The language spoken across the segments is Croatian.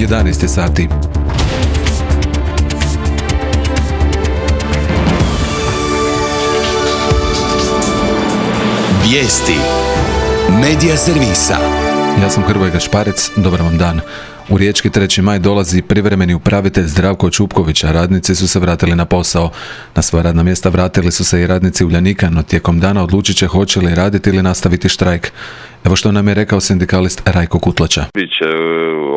11 sati. Vijesti Medija servisa. Ja sam Hrvoje Gašparec, dobar vam dan. U Riječki 3. maj dolazi privremeni upravitelj Zdravko Čupković, a radnici su se vratili na posao. Na svoja radna mjesta vratili su se i radnici Uljanika, no tijekom dana odlučit će hoće li raditi ili nastaviti štrajk. Evo što nam je rekao sindikalist Rajko Kutlača. Biće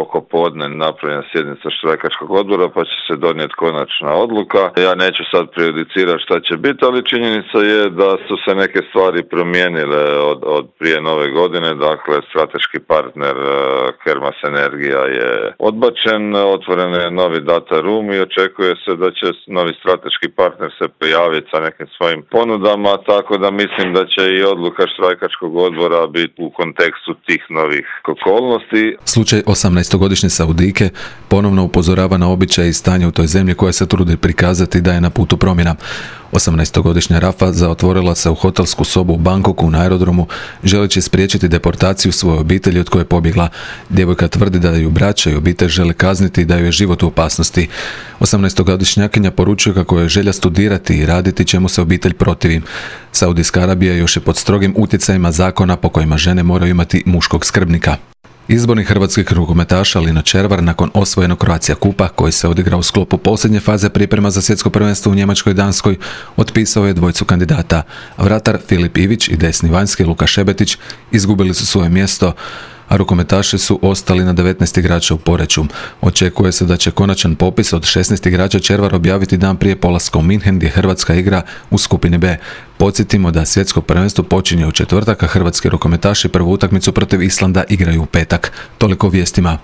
oko podne napravljena sjednica štrajkačkog odbora pa će se donijeti konačna odluka. Ja neću sad prejudicirati šta će biti, ali činjenica je da su se neke stvari promijenile od prije nove godine. Dakle, strateški partner Kermas Energija je odbačen, otvoren je novi data room i očekuje se da će novi strateški partner se pojaviti sa nekim svojim ponudama, tako da mislim da će i odluka štrajkačkog odbora biti u kontekstu tih novih okolnosti. Slučaj 18-godišnje Saudijke ponovno upozorava na običaje i stanje u toj zemlji koja se trudi prikazati da je na putu promjena. 18-godišnja Rafa zaotvorila se u hotelsku sobu u Bangkoku na aerodromu, želeći spriječiti deportaciju svoje obitelji od koje je pobjegla. Djevojka tvrdi da ju braća i obitelj žele kazniti i da ju je život u opasnosti. 18-godišnjakinja poručuje kako je želja studirati i raditi, čemu se obitelj protivi. Saudijska Arabija još je pod strogim utjecajima zakona po kojima žene moraju imati muškog skrbnika. Izbornik hrvatskih rukometaša Lino Červar nakon osvojenog Croatia Kupa, koji se odigrao u sklopu posljednje faze priprema za svjetsko prvenstvo u Njemačkoj i Danskoj, otpisao je dvojicu kandidata. Vratar Filip Ivić i desni vanjski Luka Šebetić izgubili su svoje mjesto, a rukometaši su ostali na 19 igrača u Poreču. Očekuje se da će konačan popis od 16 igrača Červar objaviti dan prije polaska u Minhen, gdje Hrvatska igra u skupini B. Podsjetimo da svjetsko prvenstvo počinje u četvrtak, a hrvatski rukometaši prvu utakmicu protiv Islanda igraju u petak. Toliko o vijestima.